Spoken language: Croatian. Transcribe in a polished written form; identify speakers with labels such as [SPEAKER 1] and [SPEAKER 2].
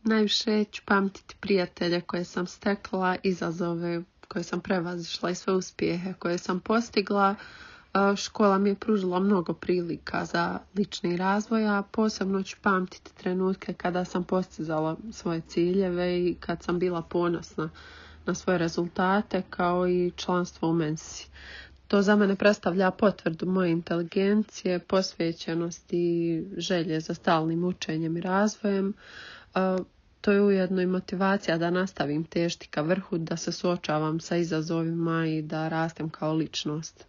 [SPEAKER 1] Najviše ću pamtiti prijatelje koje sam stekla, izazove koje sam prevazišla i sve uspjehe koje sam postigla. Škola mi je pružila mnogo prilika za lični razvoj, a posebno ću pamtiti trenutke kada sam postizala svoje ciljeve i kad sam bila ponosna na svoje rezultate, kao i članstvo u Mensi. To za mene predstavlja potvrdu moje inteligencije, posvećenosti i želje za stalnim učenjem i razvojem. To je ujedno i motivacija da nastavim težiti ka vrhu, da se suočavam sa izazovima i da rastem kao ličnost.